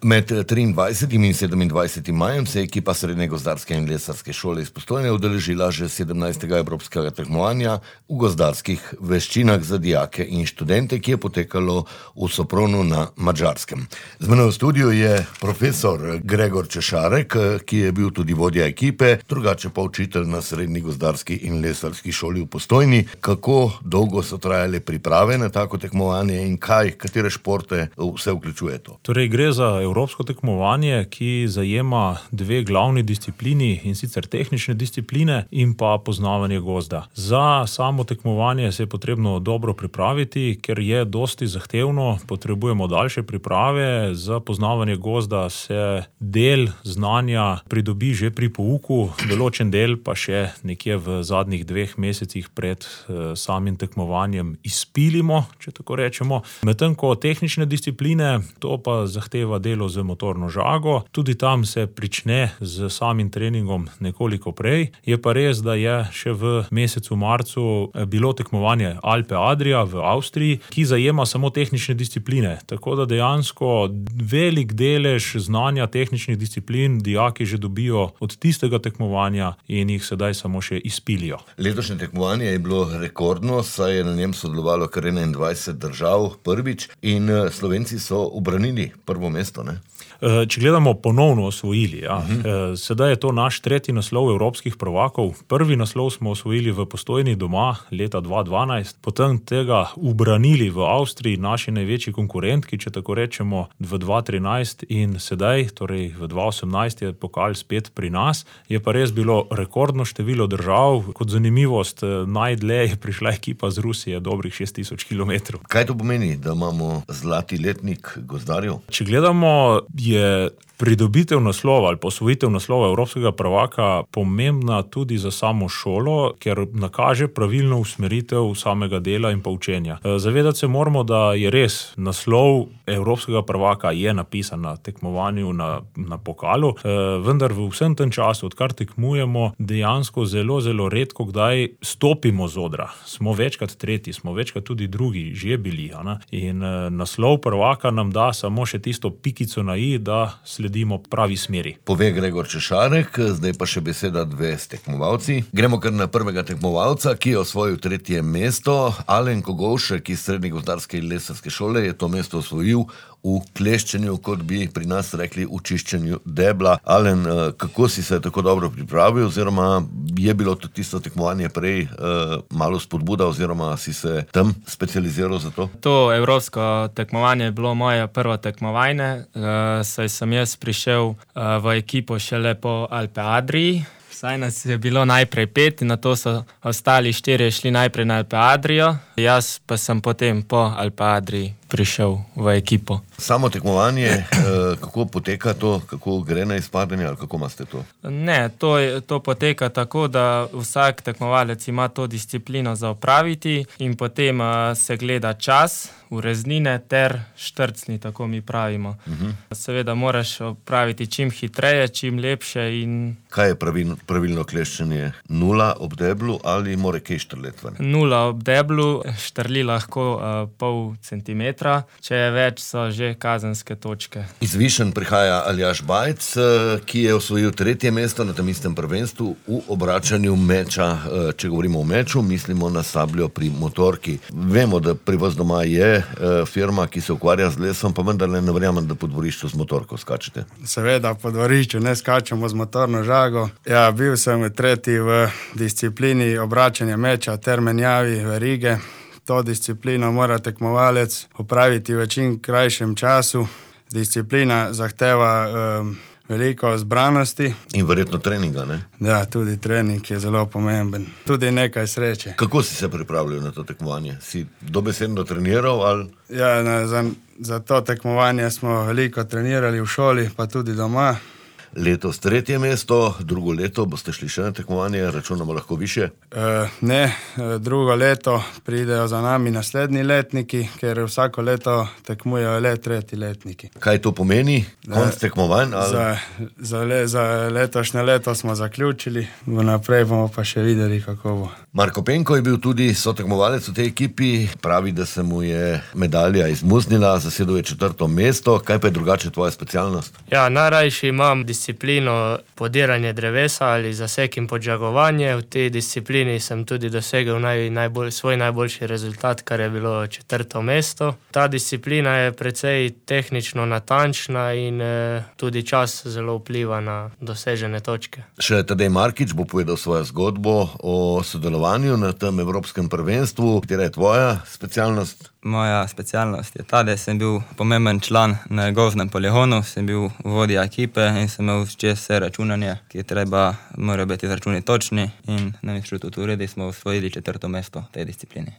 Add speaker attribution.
Speaker 1: Med 23. in 27. majem se je ekipa Srednje gozdarske in lesarske šole iz Postojne udeležila že 17. evropskega tekmovanja v gozdarskih veščinah za dijake in študente, ki je potekalo v Sopronu na Madžarskem. Z menoj v studiu je profesor Gregor Češarek, ki je bil tudi vodja ekipe, drugače pa učitelj na Srednji gozdarski in lesarski šoli v Postojni. Kako dolgo so trajale priprave na tako tekmovanje in katere športe vse vključuje to?
Speaker 2: Torej gre za evropsko tekmovanje, ki zajema dve glavni disciplini, in sicer tehnične discipline in pa poznavanje gozda. Za samo tekmovanje se je potrebno dobro pripraviti, ker je dosti zahtevno, potrebujemo daljše priprave. Za poznavanje gozda se del znanja pridobi že pri pouku, določen del pa še nekje v zadnjih 2 mesecih pred samim tekmovanjem izpilimo, če tako rečemo. Medtem ko tehnične discipline, to pa zahteva delo z motorno žago. Tudi tam se prične z samim treningom nekoliko prej. Je pa res, da je še v mesecu marcu bilo tekmovanje Alpe Adria v Avstriji, ki zajema samo tehnične discipline. Tako da dejansko velik delež znanja tehničnih disciplin dijaki že dobijo od tistega tekmovanja in jih sedaj samo še izpilijo.
Speaker 1: Letošnje tekmovanje je bilo rekordno, saj je na njem sodelovalo kar 21 držav prvič in Slovenci so ubranili prvo mesto, ne?
Speaker 2: Če gledamo ponovno osvojili, sedaj je to naš 3. naslov evropskih prvakov. Prvi naslov smo osvojili v Postojni doma leta 2012, potem tega ubranili v Avstriji, naši največji konkurentki, če tako rečemo, v 2013 in sedaj, torej v 2018 je pokal spet pri nas. Je pa res bilo rekordno število držav. Kot zanimivost, najdlje je prišla ekipa z Rusije, dobrih 6000 km.
Speaker 1: Kaj to pomeni, da imamo zlati letnik gozdarjev?
Speaker 2: Če gledamo, je pridobitev naslova ali posvojitev naslova evropskega prvaka pomembna tudi za samo šolo, ker nakaže pravilno usmeritev samega dela in pa učenja. Zavedati se moramo, da je res naslov evropskega prvaka je napisan na tekmovanju na pokalu, vendar v vsem tem času, odkar tekmujemo, dejansko zelo redko kdaj stopimo z odra. Smo večkrat tretji, smo večkrat tudi drugi že bili, in naslov prvaka nam da samo še tisto pikico na i, da sledimo pravi smeri.
Speaker 1: Pove Gregor Češarek, zdaj pa še beseda dve s tekmovalci. Gremo kar na prvega tekmovalca, ki je osvojil 3. mesto. Alen Kogovšek iz Srednje gozdarske in lesarske šole je to mesto osvojil v kleščenju, kot bi pri nas rekli, v čiščenju debla. Alen, kako si se tako dobro pripravil, oziroma je bilo to tisto tekmovanje prej malo spodbuda, oziroma si se tam specializiral za to?
Speaker 3: To evropsko tekmovanje je bilo moje prvo tekmovanje, saj sem jaz prišel v ekipo šele po Alpe Adriji. Saj nas je bilo najprej 5 in nato so ostali 4 šli najprej na Alpe Adrijo, jaz pa sem potem po Alpe Adriji prišel v ekipo.
Speaker 1: Samo tekmovanje, kako poteka to, kako gre na izpadanje ali kako imate to?
Speaker 3: Ne, to poteka tako, da vsak tekmovalec ima to disciplino za opraviti in potem se gleda čas, ureznine ter štrcni, tako mi pravimo. Seveda moraš opraviti čim hitreje, čim lepše in...
Speaker 1: Kaj je pravilno kleščenje? 0 ob deblu ali mora kaj štrlet ven?
Speaker 3: 0 ob deblu, štrli lahko pol centimetra, če je več, so že kazenske točke.
Speaker 1: Iz Višen prihaja Aljaž Bajc, ki je osvojil 3. mesto na tem istem prvenstvu v obračanju meča. Če govorimo o meču, mislimo na sabljo pri motorki. Vemo, da pri vas doma je firma, ki se ukvarja z lesom, pa vendar ne verjamem, da po dvorišču z motorko skačete.
Speaker 4: Seveda, po dvorišču ne skačemo z motorno žago. Ja, bil sem 3. v disciplini obračanja meča ter menjavi verige. To disciplino mora tekmovalec opraviti v čim krajšem času. Disciplina zahteva veliko zbranosti. In
Speaker 1: verjetno treninga, ne?
Speaker 4: Ja, tudi trening je zelo pomemben. Tudi nekaj sreče.
Speaker 1: Kako si se pripravljal na to tekmovanje? Si dobesedno treniral ali?
Speaker 4: Ja, za to tekmovanje smo veliko trenirali v šoli, pa tudi doma.
Speaker 1: Letos 3. mesto, drugo leto boste šli še na tekmovanje, računamo lahko više?
Speaker 4: Ne, drugo leto pridejo za nami naslednji letniki, ker vsako leto tekmujejo le 3. letniki.
Speaker 1: Kaj to pomeni? Konc tekmovanj?
Speaker 4: Za letošnje leto smo zaključili, vnaprej bomo pa še videli, kako bo.
Speaker 1: Marko Penko je bil tudi sotekmovalec v tej ekipi, pravi, da se mu je medalja izmuznila, zasedel je 4. mesto. Kaj pa je drugače tvoja specialnost?
Speaker 3: Ja, najrajši imam disciplino podiranje drevesa ali zasek in podžagovanje. V tej disciplini sem tudi dosegel svoj najboljši rezultat, kar je bilo 4. mesto. Ta disciplina je precej tehnično natančna in tudi čas zelo vpliva na dosežene točke.
Speaker 1: Še Tadej Markič bo povedal svojo zgodbo o sodelovanju na tem evropskem prvenstvu. Katera je tvoja specialnost?
Speaker 5: Moja specialnost je ta, da sem bil pomemben član na gozdnem poligonu, sem bil vodja ekipe in sem imel čez vse računanje, ki morajo biti izračuni točni in na Inštitutu Uredi smo osvojili 4. mesto v tej disciplini.